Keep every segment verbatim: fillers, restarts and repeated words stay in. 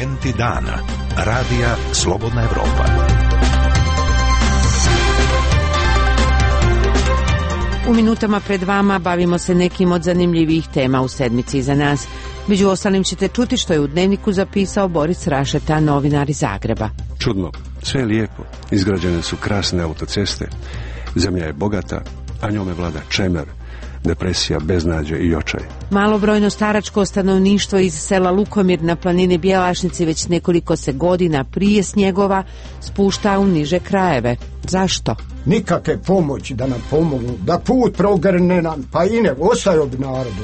Momenti dana. Radija Slobodna Evropa. U minutama pred vama bavimo se nekim od zanimljivih tema u sedmici iza nas. Među ostalim ćete čuti što je u Dnevniku zapisao Boris Rašeta, novinar iz Zagreba. Čudno, sve je lijepo. Izgrađene su krasne autoceste. Zemlja je bogata, a njome vlada čemer, depresija, beznađe i očaj. Malobrojno staračko stanovništvo iz sela Lukomir na planini Bjelašnici već nekoliko se godina prije snjegova spušta u niže krajeve. Zašto? Nikakve pomoći da nam pomognu, da put progrne nam, pa i ne, ostaju bi narodu.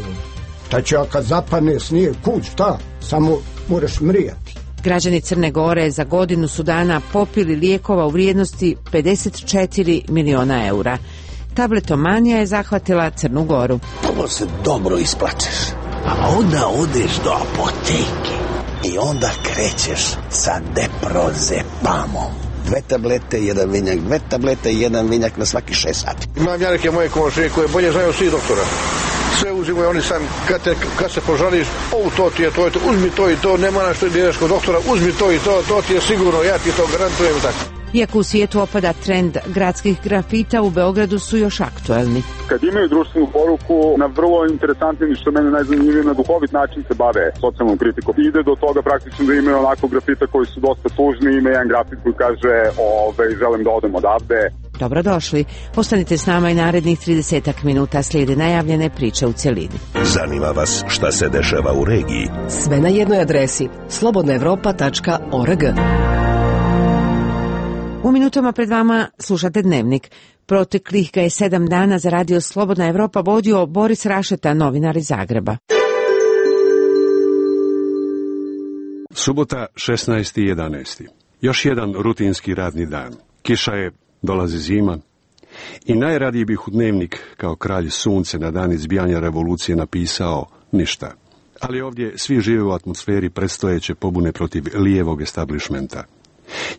Šta će, a kad zapadne snijeg, kud, šta? Samo moraš mrijati. Građani Crne Gore za godinu su dana popili lijekova u vrijednosti pedeset četiri miliona eura. Tabletomanija je zahvatila Crnu Goru. Prvo se dobro isplačeš, a onda odeš do apoteke i onda krećeš sa Deprozepamom. Dve tablete, jedan vinjak, dve tablete, jedan vinjak na svaki šest sati. Imam ja neke moje komšije koje bolje znaju svi doktora. Sve uzimaju oni sam, kad, te, kad se požališ, o, to ti je, to je to, uzmi to i to, nema na što ideš kod doktora, uzmi to i to, to ti je sigurno, ja ti to garantujem tako. Iako u svijetu opada trend gradskih grafita, u Beogradu su još aktuelni. Kad imaju društvenu poruku, na vrlo interesantni, što mene najzanimljivije, na duhovit način se bave socijalnom kritikom. Ide do toga praktično da imaju onako grafita koji su dosta tužni, ima jedan grafit koji kaže ove, želim da odem odavde. Dobrodošli. Ostanite s nama i narednih tridesetak minuta, slijede najavljene priče u cjelini. Zanima vas šta se dešava u regiji? Sve na jednoj adresi slobodna evropa tačka org. U minutama pred vama slušate Dnevnik. Proteklih ga je sedam dana za radio Slobodna Evropa vodio Boris Rašeta, novinar iz Zagreba. Subota, šesnaesti jedanaesti Još jedan rutinski radni dan. Kiša je, dolazi zima i najradije bih u Dnevnik kao kralj sunce na dan izbijanja revolucije napisao ništa. Ali ovdje svi žive u atmosferi predstojeće pobune protiv lijevog establishmenta.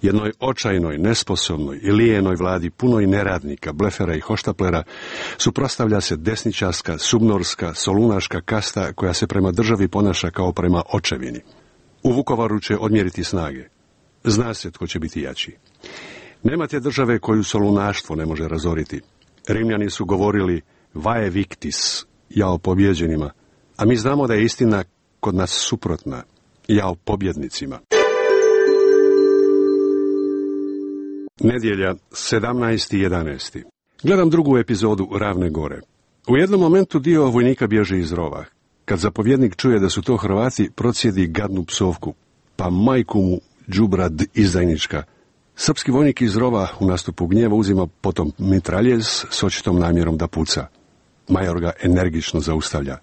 Jednoj očajnoj, nesposobnoj i lijenoj vladi punoj neradnika, blefera i hoštaplera suprotstavlja se desničarska, subnorska, solunaška kasta koja se prema državi ponaša kao prema očevini. U Vukovaru će odmjeriti snage. Zna se tko će biti jači. Nema te države koju solunaštvo ne može razoriti. Rimljani su govorili vae victis, jao pobjeđenima, a mi znamo da je istina kod nas suprotna, jao pobjednicima. Nedjelja, sedamnaesti jedanaesti Gledam drugu epizodu Ravne Gore. U jednom momentu dio vojnika bježi iz rova. Kad zapovjednik čuje da su to Hrvati, procijedi gadnu psovku. Pa majku mu, đubrad izdajnička. Srpski vojnik iz rova u nastupu gnjeva uzima potom mitraljez s očitom namjerom da puca. Major ga energično zaustavlja.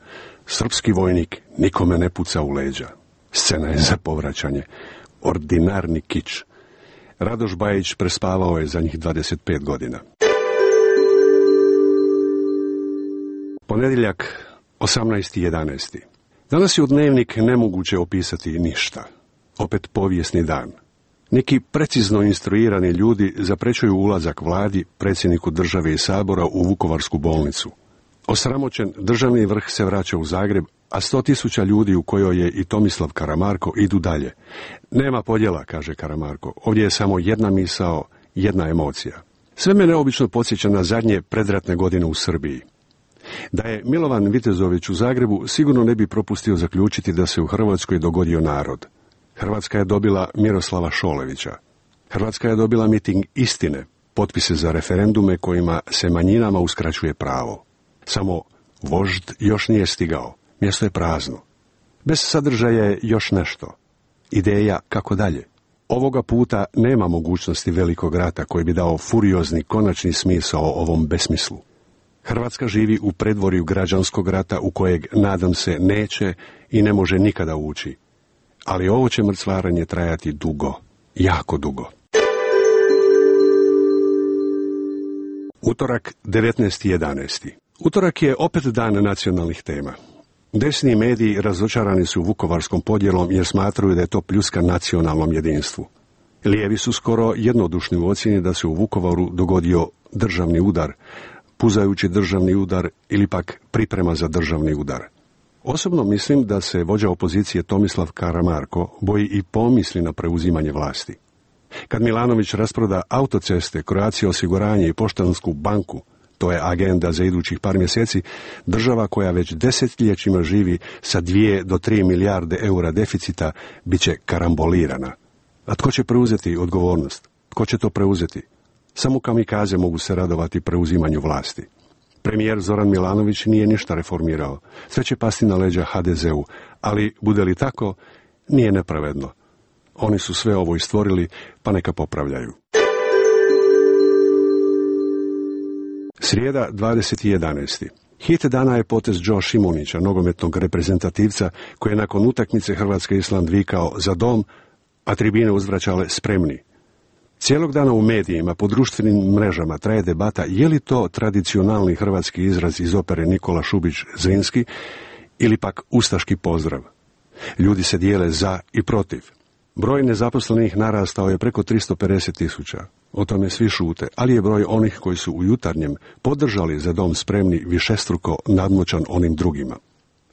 Srpski vojnik nikome ne puca u leđa. Scena je za povraćanje. Ordinarni kič. Radoš Bajić prespavao je za njih dvadeset pet godina. Ponedjeljak, osamnaesti jedanaesti Danas je u Dnevnik nemoguće opisati ništa. Opet povijesni dan. Neki precizno instruirani ljudi zaprećuju ulazak vladi, predsjedniku države i sabora u Vukovarsku bolnicu. Osramoćen državni vrh se vraća u Zagreb, a sto tisuća ljudi u kojoj je i Tomislav Karamarko idu dalje. Nema podjela, kaže Karamarko. Ovdje je samo jedna misao, jedna emocija. Sve me neobično podsjeća na zadnje predratne godine u Srbiji. Da je Milovan Vitezović u Zagrebu, sigurno ne bi propustio zaključiti da se u Hrvatskoj dogodio narod. Hrvatska je dobila Miroslava Šolevića. Hrvatska je dobila miting istine, potpise za referendume kojima se manjinama uskraćuje pravo. Samo vožd još nije stigao. Mjesto je prazno. Bez sadržaja je još nešto. Ideja kako dalje. Ovoga puta nema mogućnosti velikog rata koji bi dao furiozni konačni smisao ovom besmislu. Hrvatska živi u predvorju građanskog rata u kojeg, nadam se, neće i ne može nikada ući. Ali ovo će mrcvaranje trajati dugo, jako dugo. Utorak, devetnaesti jedanaesti Utorak je opet dan nacionalnih tema. Desni mediji razočarani su vukovarskom podjelom jer smatraju da je to pljuska nacionalnom jedinstvu. Lijevi su skoro jednodušni u ocjeni da se u Vukovaru dogodio državni udar, puzajući državni udar ili pak priprema za državni udar. Osobno mislim da se vođa opozicije Tomislav Karamarko boji i pomisli na preuzimanje vlasti. Kad Milanović rasproda autoceste, Croatia osiguranje i Poštansku banku, to je agenda za idućih par mjeseci, država koja već desetljećima živi sa dvije do tri milijarde eura deficita bit će karambolirana. A tko će preuzeti odgovornost? Tko će to preuzeti? Samo kamikaze mogu se radovati preuzimanju vlasti. Premijer Zoran Milanović nije ništa reformirao. Sve će pasti na leđa ha de zeu, ali bude li tako, nije nepravedno. Oni su sve ovo i stvorili, pa neka popravljaju. Srijeda, dvadeset jedanaesti Hit dana je potez Joe Šimunića, nogometnog reprezentativca, koji je nakon utakmice Hrvatske Island vikao za dom, a tribine uzvraćale spremni. Cijelog dana u medijima, po društvenim mrežama traje debata je li to tradicionalni hrvatski izraz iz opere Nikola Šubić Zrinski ili pak ustaški pozdrav. Ljudi se dijele za i protiv. Broj nezaposlenih narastao je preko tristo pedeset tisuća. O tome svi šute, ali je broj onih koji su u Jutarnjem podržali za dom spremni višestruko nadmoćan onim drugima.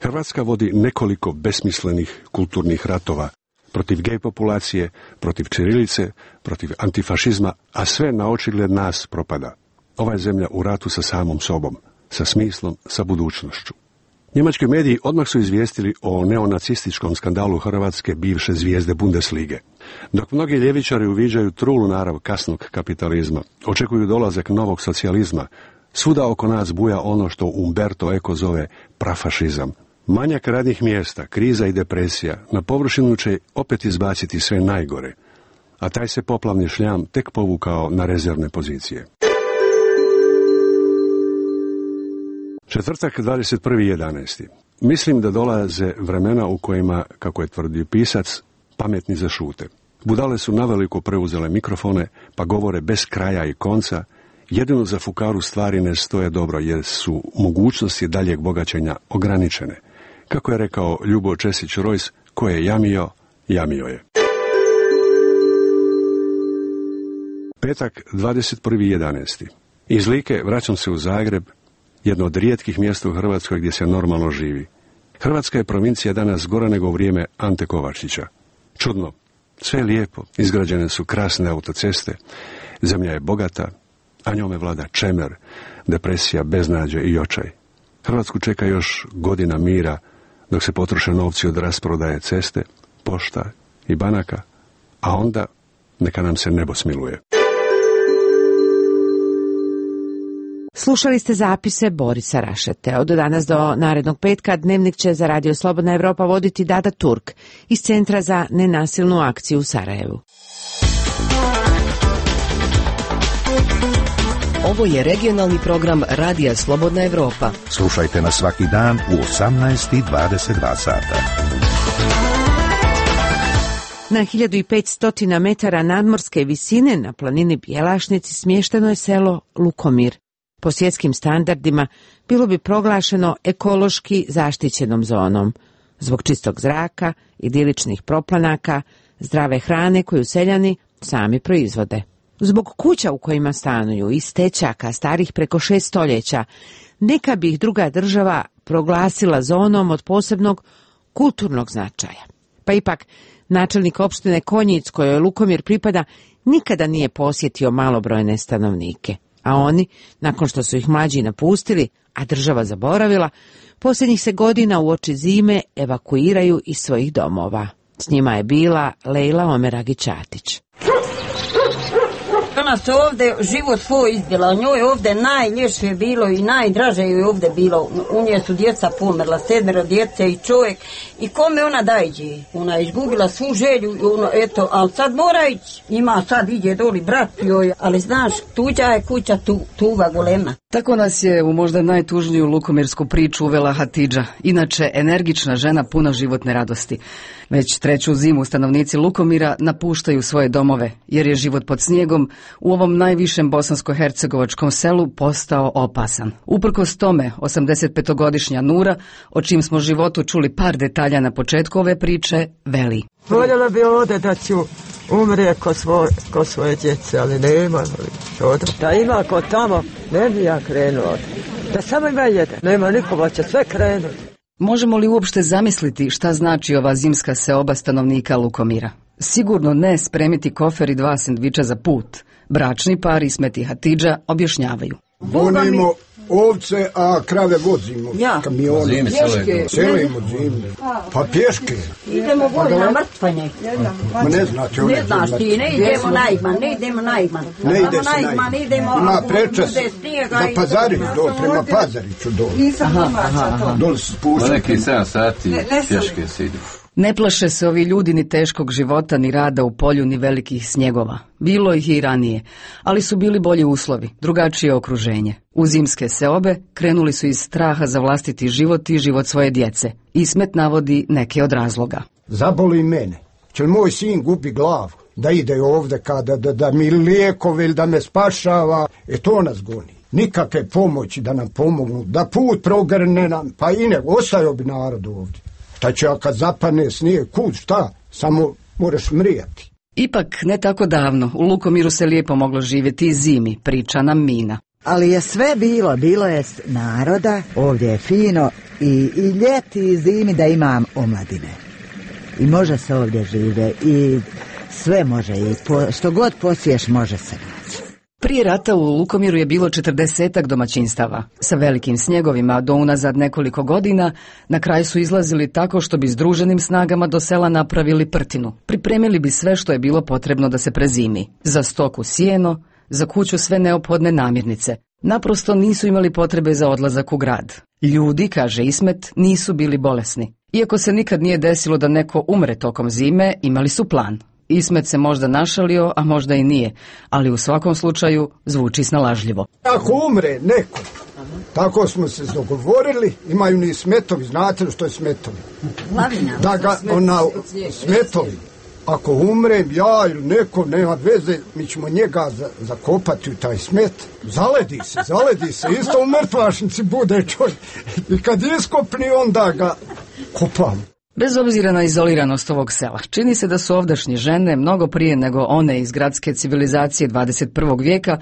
Hrvatska vodi nekoliko besmislenih kulturnih ratova protiv gej populacije, protiv ćirilice, protiv antifašizma, a sve na očigled nas propada. Ova je zemlja u ratu sa samom sobom, sa smislom, sa budućnošću. Njemački mediji odmah su izvijestili o neonacističkom skandalu hrvatske bivše zvijezde Bundeslige. Dok mnogi ljevičari uviđaju trulu narav kasnog kapitalizma, očekuju dolazak novog socijalizma, svuda oko nas buja ono što Umberto Eco zove prafašizam. Manjak radnih mjesta, kriza i depresija na površinu će opet izbaciti sve najgore, a taj se poplavni šljam tek povukao na rezervne pozicije. Četvrtak, dvadeset prvi jedanaesti Mislim da dolaze vremena u kojima, kako je tvrdio pisac, pametni zašute. Budale su naveliko preuzele mikrofone, pa govore bez kraja i konca, jedino za fukaru stvari ne stoje dobro, jer su mogućnosti daljeg bogaćenja ograničene. Kako je rekao Ljubo Česić-Rojs, ko je jamio, jamio je. Petak, dvadeset prvi jedanaesti Iz Like vraćam se u Zagreb, jedno od rijetkih mjesta u Hrvatskoj gdje se normalno živi. Hrvatska je provincija danas gora nego u vrijeme Ante Kovačića. Čudno, sve je lijepo, izgrađene su krasne autoceste, zemlja je bogata, a njome vlada čemer, depresija, beznađe i očaj. Hrvatsku čeka još godina mira, dok se potroše novci od rasprodaje ceste, pošta i banaka, a onda neka nam se nebo smiluje. Slušali ste zapise Borisa Rašete. Od danas do narednog petka Dnevnik će za Radio Slobodna Evropa voditi Dada Turk iz Centra za nenasilnu akciju u Sarajevu. Ovo je regionalni program Radija Slobodna Evropa. Slušajte nas svaki dan u osamnaest i dvadeset dva sata. Na hiljadu petsto metara nadmorske visine na planini Bjelašnici smješteno je selo Lukomir. Po svjetskim standardima bilo bi proglašeno ekološki zaštićenom zonom, zbog čistog zraka, idiličnih proplanaka, zdrave hrane koju seljani sami proizvode. Zbog kuća u kojima stanuju i stećaka starih preko šest stoljeća, neka bi ih druga država proglasila zonom od posebnog kulturnog značaja. Pa ipak, načelnik opštine Konjic, kojoj Lukomir pripada, nikada nije posjetio malobrojne stanovnike. A oni, nakon što su ih mlađi napustili, a država zaboravila, posljednjih se godina uoči zime evakuiraju iz svojih domova. S njima je bila Lejla Omeragić-Atić. Ona se ovdje život svoj izbila, njoj ovdje najljepše je bilo i najdraže je ovdje bilo. U nje su djeca pomrla, sedmero djece i čovjek. I kome ona dajđe? Ona je izgubila svu želju, ono, eto, ali sad mora ići. Ima sad ide doli brat joj, ali znaš, tuđa je kuća tu, tuva golema. Tako nas je u možda najtužniju lukomirsku priču uvela Hatidža, inače energična žena puna životne radosti. Već treću zimu stanovnici Lukomira napuštaju svoje domove, jer je život pod snijegom u ovom najvišem bosansko-hercegovačkom selu postao opasan. Uprkos tome, osamdesetpetogodišnja Nura, o čim smo životu čuli par detalja na početku ove priče, veli. Voljela bi ovdje da ću umrije ko, svoj, ko svoje djece, ali nema. Da ima ko tamo, ne bi ja krenuo. Da samo ima jedan, nema nikoga, će sve krenuti. Možemo li uopšte zamisliti šta znači ova zimska seoba stanovnika Lukomira? Sigurno ne spremiti kofer i dva sendviča za put. Bračni par Ismet i Hatidža objašnjavaju. Vonimo ovce, a krave vozimo. Ja. Kamione. Zimi selimo. Selimo zimi. Pa pješke. Idemo gore na mrtvanje. Ma ne znate. Ne znaš ti, ne idemo na Igman, ne idemo na Igman. Ne ide se na Igman, idemo. Ima prečas za Pazarić, do, prema Pazariću dole. Nisam domaća. Dole se spušta. Po neki sedam sati pješke se ide. Ne plaše se ovi ljudi ni teškog života, ni rada u polju, ni velikih snjegova. Bilo ih i ranije, ali su bili bolji uslovi, drugačije okruženje. U zimske seobe krenuli su iz straha za vlastiti život i život svoje djece. Ismet navodi neke od razloga. Zaboli mene. Će li moj sin gubi glavu? Da ide ovdje kada da, da mi lijekove ili da me spašava? E to nas goni. Nikakve pomoći da nam pomognu, da put progrne nam, pa i ne, ostaju bi narod ovdje. Šta će kad zapane snijeg, kud, šta? Samo moraš mrijati. Ipak, ne tako davno, u Lukomiru se lijepo moglo živjeti i zimi, priča nam Mina. Ali je sve bilo, bilo je naroda, ovdje je fino i, i ljeti i zimi da imam omladine. I može se ovdje žive i sve može, i po, što god posiješ može se naći. Prije rata u Lukomiru je bilo četrdesetak domaćinstava. Sa velikim snjegovima do unazad nekoliko godina na kraj su izlazili tako što bi združenim snagama do sela napravili prtinu. Pripremili bi sve što je bilo potrebno da se prezimi. Za stoku sjeno, za kuću sve neophodne namirnice. Naprosto nisu imali potrebe za odlazak u grad. Ljudi, kaže Ismet, nisu bili bolesni. Iako se nikad nije desilo da neko umre tokom zime, imali su plan. Ismet se možda našalio, a možda i nije, ali u svakom slučaju zvuči snalažljivo. Ako umre neko, tako smo se dogovorili, imaju ni smetovi, znate što je smetovi? Lavina. Da ga, ona, smetovi. Ako umrem ja ili neko, nema veze, mi ćemo njega za, zakopati u taj smet. Zaledi se, zaledi se, isto u mrtvašnici bude čovjek. I kad iskopni, onda ga kopamo. Bez obzira na izoliranost ovog sela, čini se da su ovdašnje žene, mnogo prije nego one iz gradske civilizacije dvadeset prvog vijeka,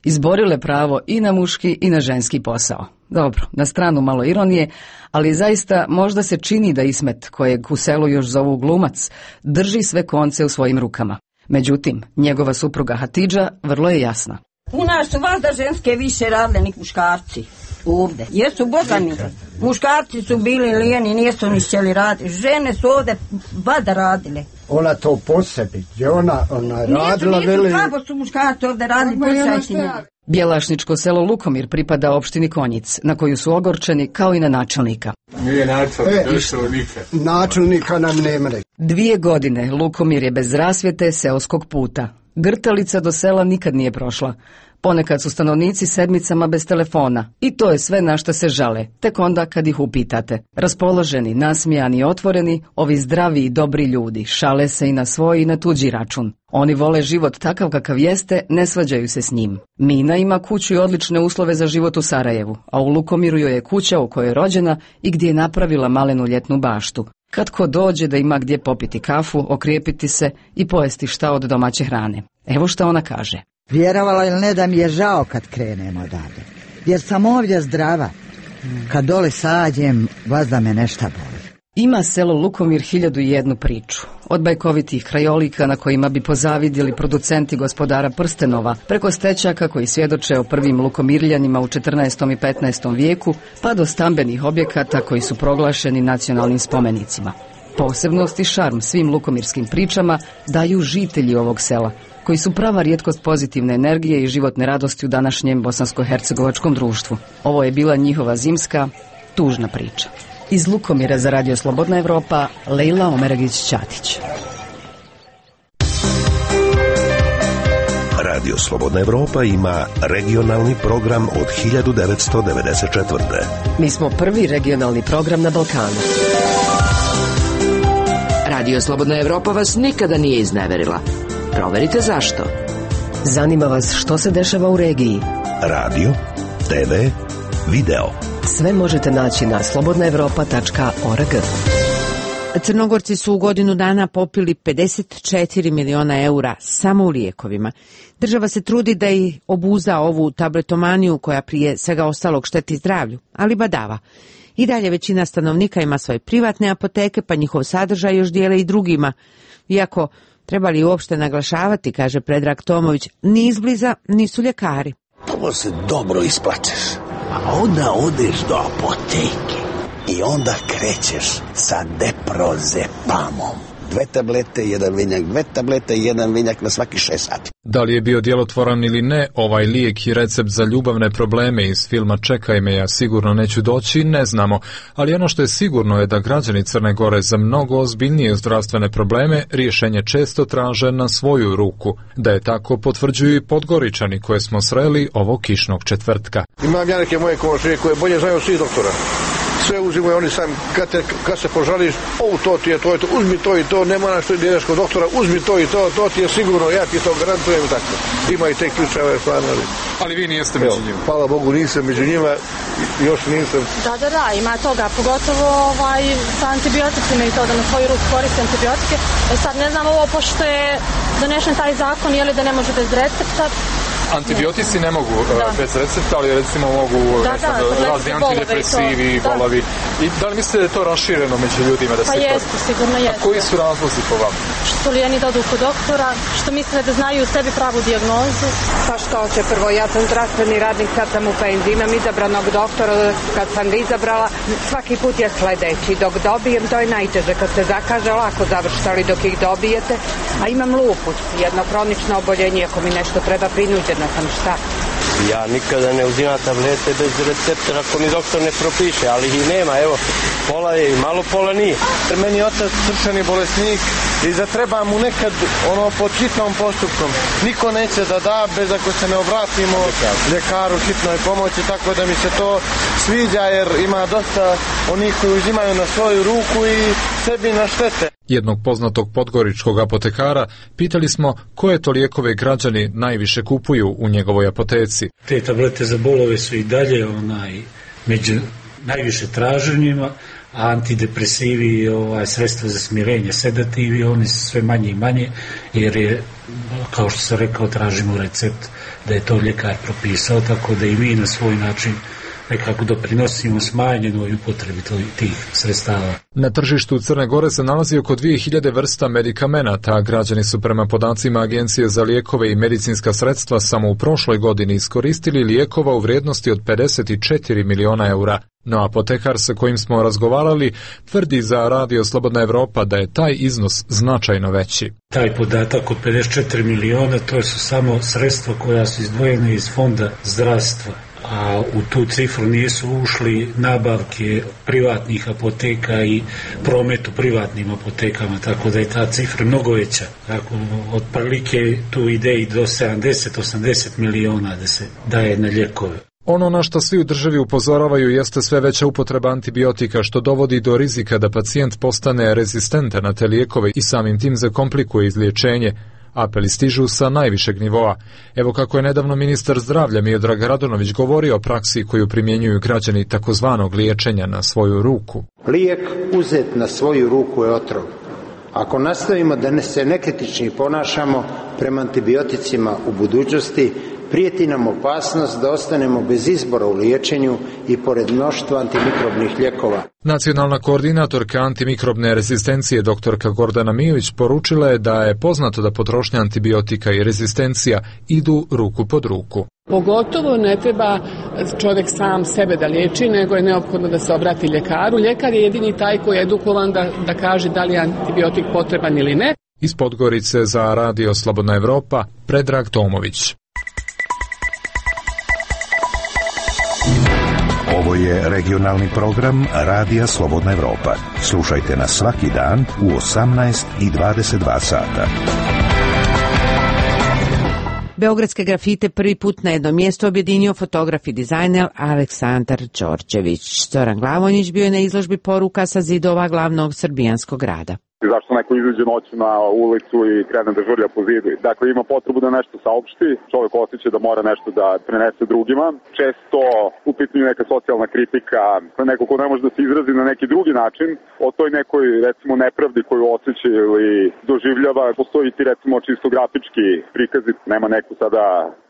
izborile pravo i na muški i na ženski posao. Dobro, na stranu malo ironije, ali zaista možda se čini da Ismet, kojeg u selu još zovu glumac, drži sve konce u svojim rukama. Međutim, njegova supruga Hatidža vrlo je jasna. U nas su valjda ženske više radile nek muškarci. Ovdje. Jesu bogani. Muškarci su bili lijeni, nisu ni htjeli raditi. Žene su ovdje vada radile. Ona to po sebi, gdje ona, ona radila nisu, veli... Nisu, slabo su muškarci ovdje radili, posjajte njegu. Bjelašničko selo Lukomir pripada opštini Konjic, na koju su ogorčeni kao i na načelnika. Nije načelnik, e, došao nikad. Načelnika nam nema. Dvije godine Lukomir je bez rasvjete seoskog puta. Grtalica do sela nikad nije prošla. Ponekad su stanovnici sedmicama bez telefona i to je sve na što se žale, tek onda kad ih upitate. Raspoloženi, nasmijani i otvoreni, ovi zdravi i dobri ljudi šale se i na svoj i na tuđi račun. Oni vole život takav kakav jeste, ne svađaju se s njim. Mina ima kuću i odlične uslove za život u Sarajevu, a u Lukomiru joj je kuća u kojoj je rođena i gdje je napravila malenu ljetnu baštu. Kad ko dođe da ima gdje popiti kafu, okrijepiti se i pojesti šta od domaće hrane. Evo šta ona kaže. Vjerovala ili ne da mi je žao kad krenemo odavde, jer sam ovdje zdrava. Kad dole sađem, vazda me nešta boli. Ima selo Lukomir hiljadu i jednu priču. Od bajkovitih krajolika na kojima bi pozavidjeli producenti gospodara prstenova, preko stečaka koji svjedoče o prvim lukomirljanima u četrnaestom i petnaestom vijeku, pa do stambenih objekata koji su proglašeni nacionalnim spomenicima. Posebnost i šarm svim lukomirskim pričama daju žitelji ovog sela, koji su prava rijetkost pozitivne energije i životne radosti u današnjem bosansko-hercegovačkom društvu. Ovo je bila njihova zimska, tužna priča. Iz Lukomira za Radio Slobodna Evropa, Lejla Omeragić-Ćatić. Radio Slobodna Evropa ima regionalni program od hiljadu devetsto devedeset četvrte. Mi smo prvi regionalni program na Balkanu. Radio Slobodna Evropa vas nikada nije izneverila. Proverite zašto. Zanima vas što se dešava u regiji. Radio, te ve, video. Sve možete naći na slobodna evropa tačka org. Crnogorci su u godinu dana popili pedeset četiri miliona eura samo u lijekovima. Država se trudi da i obuza ovu tabletomaniju koja prije svega ostalog šteti zdravlju, ali badava. I dalje većina stanovnika ima svoje privatne apoteke, pa njihov sadržaj još dijele i drugima. Iako, treba li uopšte naglašavati, kaže Predrag Tomović, ni izbliza nisu ljekari. Prvo se dobro isplačeš, a onda odeš do apoteke i onda krećeš sa deprozepamom. Dve tablete, jedan vinjak, dve tablete, jedan vinjak na svaki šest sati. Da li je bio djelotvoran ili ne, ovaj lijek i recept za ljubavne probleme iz filma Čekaj me, ja sigurno neću doći, ne znamo. Ali ono što je sigurno je da građani Crne Gore za mnogo ozbiljnije zdravstvene probleme rješenje često traže na svoju ruku. Da je tako potvrđuju i Podgoričani koje smo sreli ovog kišnog četvrtka. Imam ja neke moje komšije koje bolje znaju svih doktora. Sve uzimaju oni sam, kad, te, kad se požališ, o, to ti je, to je to, uzmi to i to, nema na što ideš kod doktora, uzmi to i to, to ti je sigurno, ja ti to garantujem, tako. Ima i te ključeve, stvarno. Ali vi nijeste među njima? Hvala Bogu, nisam među njima, još nisam. Da, da, da, ima toga, pogotovo ovaj, sa antibioticima i to, da na svoju ruku koriste antibiotike. E sad, ne znam ovo, pošto je donešen taj zakon, je li da ne može bez recepta? Antibiotici ne mogu uh, bez recepta, ali recimo mogu da, da, razni antidepresivi, bolovi. I da li mislite da je to rašireno među ljudima? Da pa se jeste, to... sigurno jeste. A koji su razlozi po vama? Što lijeni da odu kod doktora, što misle da znaju u sebi pravu dijagnozu. Pa što će prvo, ja sam zdravstveni radnik, sad sam u penziji, imam izabranog doktora, kad sam izabrala, svaki put je sledeći. Dok dobijem, to je najteže, kad se zakaže, lako završite, ali dok ih dobijete, a imam lupus, jedno kronično oboljenje, ako mi nešto treba, prinuđeno sam šta. Ja nikada ne uzimam tablete bez recepta ako mi doktor ne propiše, ali ih nema, evo, pola je i malo, pola nije. Meni je otac srčani bolesnik i zatreba mu nekad ono pod hitnom postupkom. Niko neće da da bez ako se ne obratimo ljekaru hitnoj pomoći, tako da mi se to sviđa jer ima dosta onih koji uzimaju na svoju ruku i sebi na štete. Jednog poznatog podgoričkog apotekara pitali smo koje to lijekove građani najviše kupuju u njegovoj apoteci. Te tablete za bolove su i dalje onaj, među najviše traženjima, a antidepresivi, ovaj, sredstva za smirenje, sedativi, oni su sve manje i manje, jer je, kao što sam rekao, tražimo recept da je to ljekar propisao, tako da i mi na svoj način nekako doprinosimo smanjenoj upotrebi tih sredstava. Na tržištu Crne Gore se nalazi oko dvije hiljade vrsta medikamenata, a građani su prema podacima Agencije za lijekove i medicinska sredstva samo u prošloj godini iskoristili lijekova u vrijednosti od pedeset četiri miliona eura. No apotekar sa kojim smo razgovarali tvrdi za Radio Slobodna Evropa da je taj iznos značajno veći. Taj podatak od pedeset četiri miliona to su samo sredstva koja su izdvojene iz fonda zdravstva, a u tu cifru nisu ušli nabavke privatnih apoteka i promet u privatnim apotekama, tako da je ta cifra mnogo veća. Tako, otprilike tu ide i do sedamdeset do osamdeset miliona da se daje na lijekove. Ono na što svi u državi upozoravaju jeste sve veća upotreba antibiotika, što dovodi do rizika da pacijent postane rezistentan na te lijekove i samim tim zakomplikuje izliječenje. Apeli stižu sa najvišeg nivoa. Evo kako je nedavno ministar zdravlja Miodrag Radonović govorio o praksi koju primjenjuju građani takozvanog liječenja na svoju ruku. Lijek uzet na svoju ruku je otrov. Ako nastavimo da se nekritični ponašamo prema antibioticima u budućnosti, prijeti nam opasnost da ostanemo bez izbora u liječenju i pored mnoštva antimikrobnih lijekova. Nacionalna koordinatorka antimikrobne rezistencije doktorka Gordana Mijović poručila je da je poznato da potrošnja antibiotika i rezistencija idu ruku pod ruku. Pogotovo ne treba čovjek sam sebe da liječi, nego je neophodno da se obrati ljekaru. Ljekar je jedini taj koji je edukovan da, da kaže da li je antibiotik potreban ili ne. Iz Podgorice za Radio Slobodna Evropa, Predrag Tomović. Ovo je regionalni program Radija Slobodna Evropa. Slušajte nas svaki dan u osamnaest i dvadeset dva sata. Beogradske grafite prvi put na jedno mjesto objedinio fotograf i dizajner Aleksandar Đorđević. Zoran Glavonjić bio je na izložbi poruka sa zidova glavnog srbijanskog grada. Zašto neko izađe noću na ulicu i krene da žurlja po zidu. Dakle, ima potrebu da nešto saopšti, čovjek osjeća da mora nešto da prenese drugima. Često u pitanju neka socijalna kritika, neko ko ne može da se izrazi na neki drugi način, o toj nekoj, recimo, nepravdi koju osjeća ili doživljava, postoji ti, recimo, čisto grafički prikazi, nema neku sada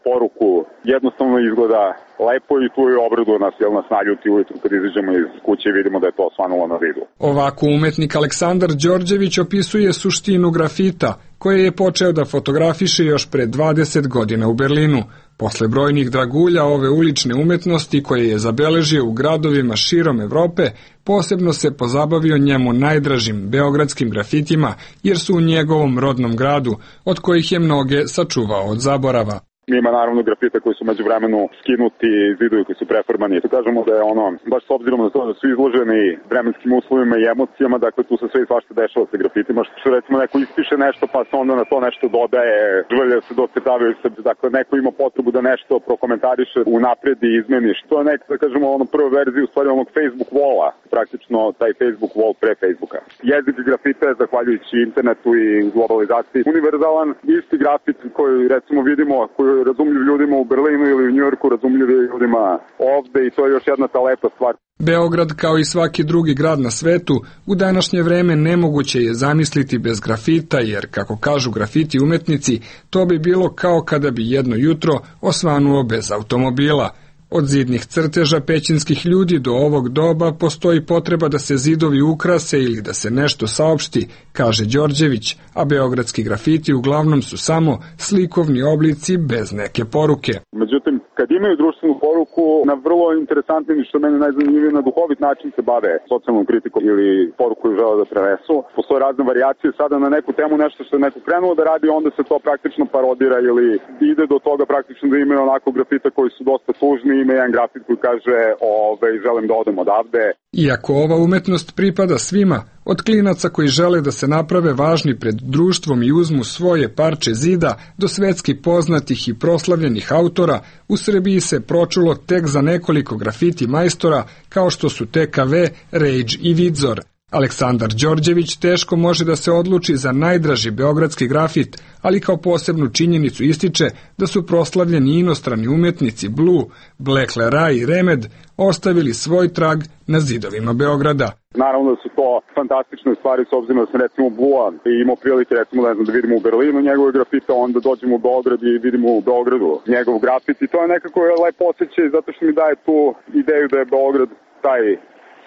poruku, jednostavno izgleda lepo i tu je obraduje nas, jel nas naljuti ujutru kad izađemo iz kuće i vidimo da je to svanulo na vidu. Ovako umetnik Aleksandar Đorđević opisuje suštinu grafita, koje je počeo da fotografiše još pre dvadeset godina u Berlinu. Posle brojnih dragulja ove ulične umetnosti koje je zabeležio u gradovima širom Evrope, posebno se pozabavio njemu najdražim beogradskim grafitima, jer su u njegovom rodnom gradu, od kojih je mnoge sačuvao od zaborava. Ima naravno grafita koji su među vremenu skinuti, zidovi koji su preformani. Tu kažemo da je ono, baš s obzirom na to da su izloženi vremenskim uslovima i emocijama, dakle tu se sve i svašta dešava sa grafitima, što recimo neko ispiše nešto pa se onda na to nešto dodaje, želje se docetavaju se, dakle neko ima potrebu da nešto prokomentariše unapred i izmeni, što je nek, da kažemo, ono prva verzija u stvari onog Facebook walla, praktično taj Facebook wall pre Facebooka. Jezik grafita je, zahvaljujući internetu i globalizaciji, univerzalan, isti grafit koji recimo vidimo, koji razumljiv ljudima u Berlinu ili u Njujorku, razumljiv ljudima ovde i to je još jedna ta lepa stvar. Beograd, kao i svaki drugi grad na svetu, u današnje vreme nemoguće je zamisliti bez grafita, jer, kako kažu grafiti umetnici, to bi bilo kao kada bi jedno jutro osvanuo bez automobila. Od zidnih crteža pećinskih ljudi do ovog doba postoji potreba da se zidovi ukrase ili da se nešto saopšti, kaže Đorđević, a beogradski grafiti uglavnom su samo slikovni oblici bez neke poruke. Međutim, kad imaju društvenu poruku, na vrlo interesantni, što meni najzanimljivije, na duhovit način se bave socijalnom kritikom ili poruku koju žele da prenesu. Postoje razne varijacije, sada na neku temu nešto što je neko krenuo da radi, onda se to praktično parodira ili ide do toga praktično da imaju onako grafita koji su dosta tužni. Ima jedan grafit koji kaže ove, želim da odem odavde. Iako ova umetnost pripada svima, od klinaca koji žele da se naprave važni pred društvom i uzmu svoje parče zida do svetski poznatih i proslavljenih autora, u Srbiji se pročulo tek za nekoliko grafiti majstora kao što su T K V, Rage i Vidzor. Aleksandar Đorđević teško može da se odluči za najdraži beogradski grafit, ali kao posebnu činjenicu ističe da su proslavljeni inostrani umetnici Blue, Black Leray i Remed ostavili svoj trag na zidovima Beograda. Naravno da su to fantastične stvari, s obzirom da sam recimo Blua i imao prilike recimo ne znam, da vidimo u Berlinu njegove grafite, onda dođemo u Beograd i vidimo u Beogradu njegov grafit i to je nekako lepo osjećaj zato što mi daje tu ideju da je Beograd taj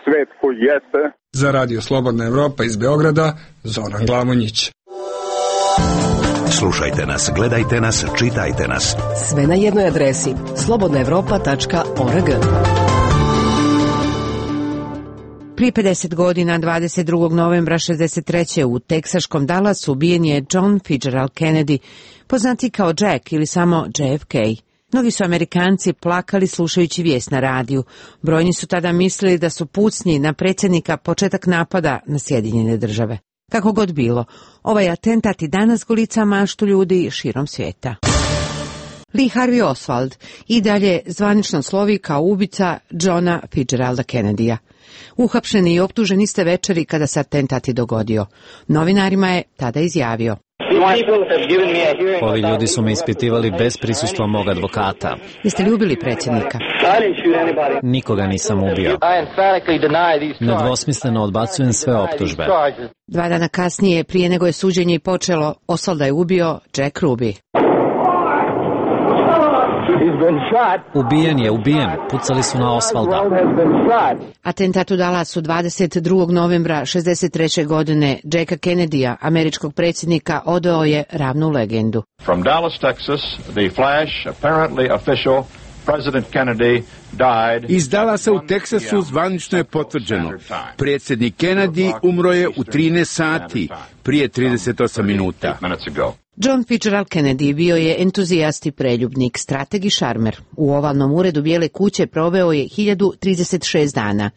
svet koji jeste. Za Radio Slobodna Evropa iz Beograda, Zoran Glamonjić. Slušajte nas, gledajte nas, čitajte nas. Sve na jednoj adresi slobodna evropa tačka org. Prije pedeset godina, dvadeset drugog novembra šezdeset treće u teksaškom Dallasu ubijen je John Fitzgerald Kennedy, poznati kao Jack ili samo J F K. Mnogi su Amerikanci plakali slušajući vijest na radiju. Brojni su tada mislili da su pucnji na predsjednika početak napada na Sjedinjene države. Kako god bilo, ovaj atentat i danas golica maštu ljudi širom svijeta. Lee Harvey Oswald i dalje zvanično slovi kao ubica Johna Fitzgeralda Kennedyja. Uhapšen i optužen iste večeri kada se atentat i dogodio. Novinarima je tada izjavio: Ovi ljudi su me ispitivali bez prisustva mog advokata. Jeste li ubili predsjednika? Nikoga nisam ubio. Nedvosmisleno odbacujem sve optužbe. Dva dana kasnije, prije nego je suđenje počelo, Oswalda je ubio Jack Ruby. Ubijen je, ubijen. Pucali su na Oswalda. Atentat u Dallasu dvadeset drugog novembra šezdeset treće godine Jacka Kennedyja, američkog predsjednika, odveo je ravnu legendu. From Dallas, Texas, the flash, apparently official, President Kennedy died. Iz Dallasa u Teksasu zvanično je potvrđeno. Predsjednik Kennedy umro je u trinaest sati, prije trideset osam minuta. John Fitzgerald Kennedy bio je entuzijast i preljubnik, strateg i šarmer. U ovalnom uredu Bijele kuće proveo je hiljadu trideset šest dana.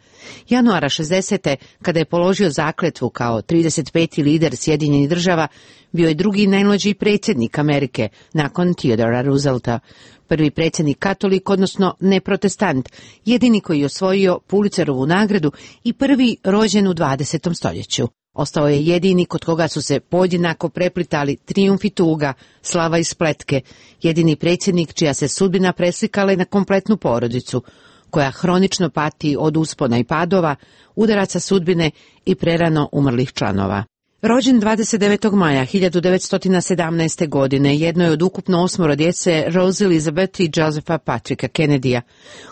Januara šezdesete kada je položio zakletvu kao trideset peti lider Sjedinjenih država, bio je drugi najmlađi predsjednik Amerike nakon Theodora Roosevelta. Prvi predsjednik katolik, odnosno neprotestant, jedini koji je osvojio Pulitzerovu nagradu i prvi rođen u dvadesetom stoljeću. Ostao je jedini kod koga su se podjednako preplitali trijumf i tuga, slava i spletke, jedini predsjednik čija se sudbina preslikala na kompletnu porodicu, koja hronično pati od uspona i padova, udaraca sudbine i prerano umrlih članova. Rođen dvadeset devetog maja hiljadu devetsto sedamnaeste. godine, jedno je od ukupno osmoro djece Rose Elizabeth i Josepha Patricka Kennedya.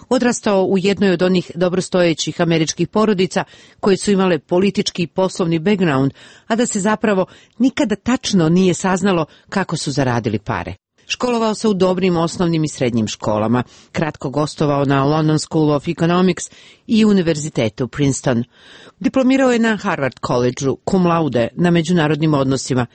Odrastao u jednoj od onih dobrostojećih američkih porodica koje su imale politički i poslovni background, a da se zapravo nikada tačno nije saznalo kako su zaradili pare. Školovao se u dobrim osnovnim i srednjim školama, kratko gostovao na London School of Economics i univerzitetu Princeton. Diplomirao je na Harvard College-u cum laude na međunarodnim odnosima.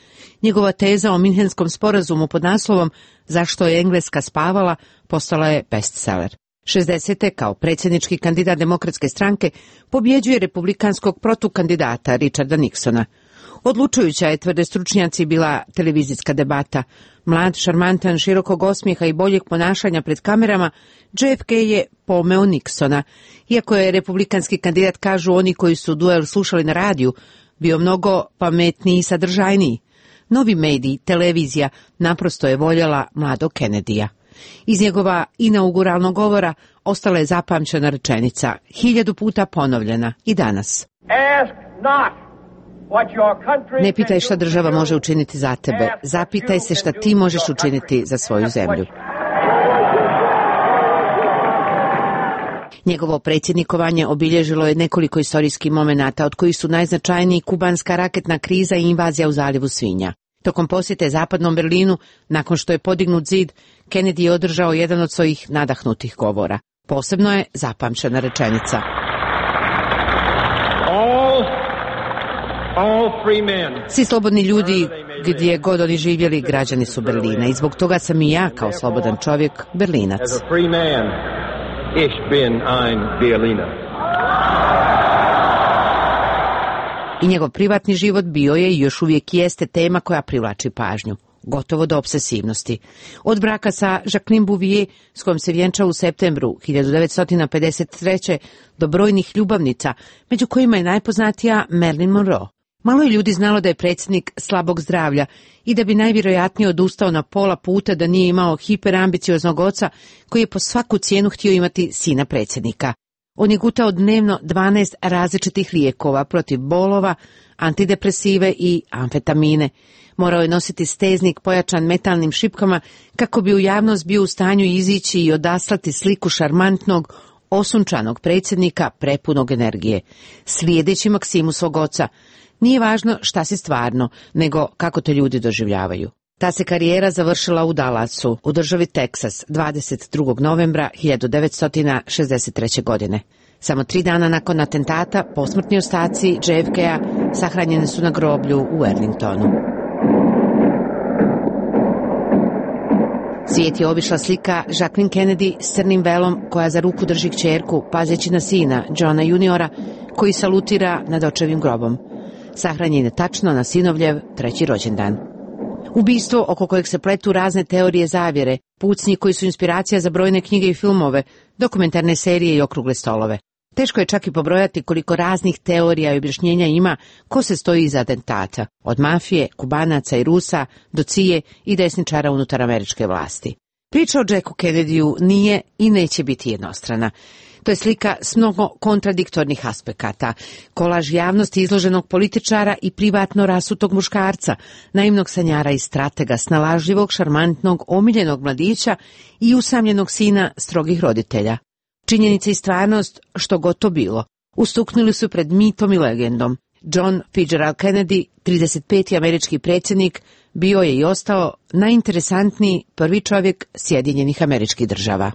Njegova teza o Minhenskom sporazumu pod naslovom Zašto je Engleska spavala postala je bestseller. šezdesete. kao predsjednički kandidat Demokratske stranke pobjeđuje republikanskog protukandidata Richarda Nixona. Odlučujuća je, tvrde stručnjaci, bila televizijska debata. Mlad, šarmantan, širokog osmijeha i boljeg ponašanja pred kamerama, J F K je pomeo Nixona. Iako je republikanski kandidat, kažu oni koji su duel slušali na radiju, bio mnogo pametniji i sadržajniji. Novi mediji, televizija, naprosto je voljela mladog Kennedyja. Iz njegova inauguralnog govora ostala je zapamćena rečenica, hiljadu puta ponovljena i danas. Ask not. Ne pitaj šta država može učiniti za tebe, zapitaj se šta ti možeš učiniti za svoju zemlju. Njegovo predsjednikovanje obilježilo je nekoliko istorijskih momenata, od kojih su najznačajniji kubanska raketna kriza i invazija u zaljevu Svinja. Tokom posjete zapadnom Berlinu, nakon što je podignut zid, Kennedy je održao jedan od svojih nadahnutih govora. Posebno je zapamćena rečenica. Svi slobodni ljudi, gdje god oni živjeli, građani su Berlina i zbog toga sam i ja, kao slobodan čovjek, Berlinac. I njegov privatni život bio je i još uvijek jeste tema koja privlači pažnju, gotovo do obsesivnosti. Od braka sa Jacqueline Bouvier, s kojom se vjenčao u septembru hiljadu devetsto pedeset treće. do brojnih ljubavnica, među kojima je najpoznatija Marilyn Monroe. Malo je ljudi znalo da je predsjednik slabog zdravlja i da bi najvjerojatnije odustao na pola puta da nije imao hiperambicioznog oca koji je po svaku cijenu htio imati sina predsjednika. On je gutao dnevno dvanaest različitih lijekova protiv bolova, antidepresive i amfetamine. Morao je nositi steznik pojačan metalnim šipkama kako bi u javnost bio u stanju izići i odaslati sliku šarmantnog, osunčanog predsjednika prepunog energije. Slijedeći maksimu svog oca, nije važno šta si stvarno, nego kako te ljudi doživljavaju. Ta se karijera završila u Dallasu, u državi Teksas, dvadeset drugog novembra hiljadu devetsto šezdeset treće. godine. Samo tri dana nakon atentata, posmrtni ostaci J F K-a sahranjeni su na groblju u Arlingtonu. Svijet je obišla slika Jacqueline Kennedy s crnim velom koja za ruku drži kćerku, pazeći na sina, Johna juniora, koji salutira nad očevim grobom. Sahranjen je tačno na sinovljev treći rođendan. Ubistvo oko kojeg se pletu razne teorije zavjere, pucnji koji su inspiracija za brojne knjige i filmove, dokumentarne serije i okrugle stolove. Teško je čak i pobrojati koliko raznih teorija i objašnjenja ima ko se stoji iza atentata, od mafije, Kubanaca i Rusa do C I A i desničara unutar američke vlasti. Priča o Jacku Kennedyu nije i neće biti jednostrana. To je slika s mnogo kontradiktornih aspekata, kolaž javnosti izloženog političara i privatno rasutog muškarca, naivnog sanjara i stratega, snalažljivog, šarmantnog, omiljenog mladića i usamljenog sina strogih roditelja. Činjenica i stvarnost, što god to bilo, ustuknuli su pred mitom i legendom. John Fitzgerald Kennedy, trideset peti američki predsjednik, bio je i ostao najinteresantniji prvi čovjek Sjedinjenih Američkih Država.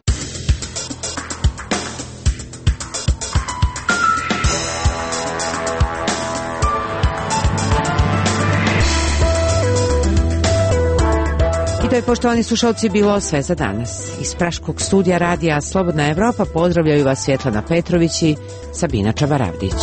I to je, poštovani slušalci, bilo sve za danas. Iz praškog studija radija Slobodna Evropa pozdravljaju vas Svjetlana Petrović i Sabina Čavaravdić.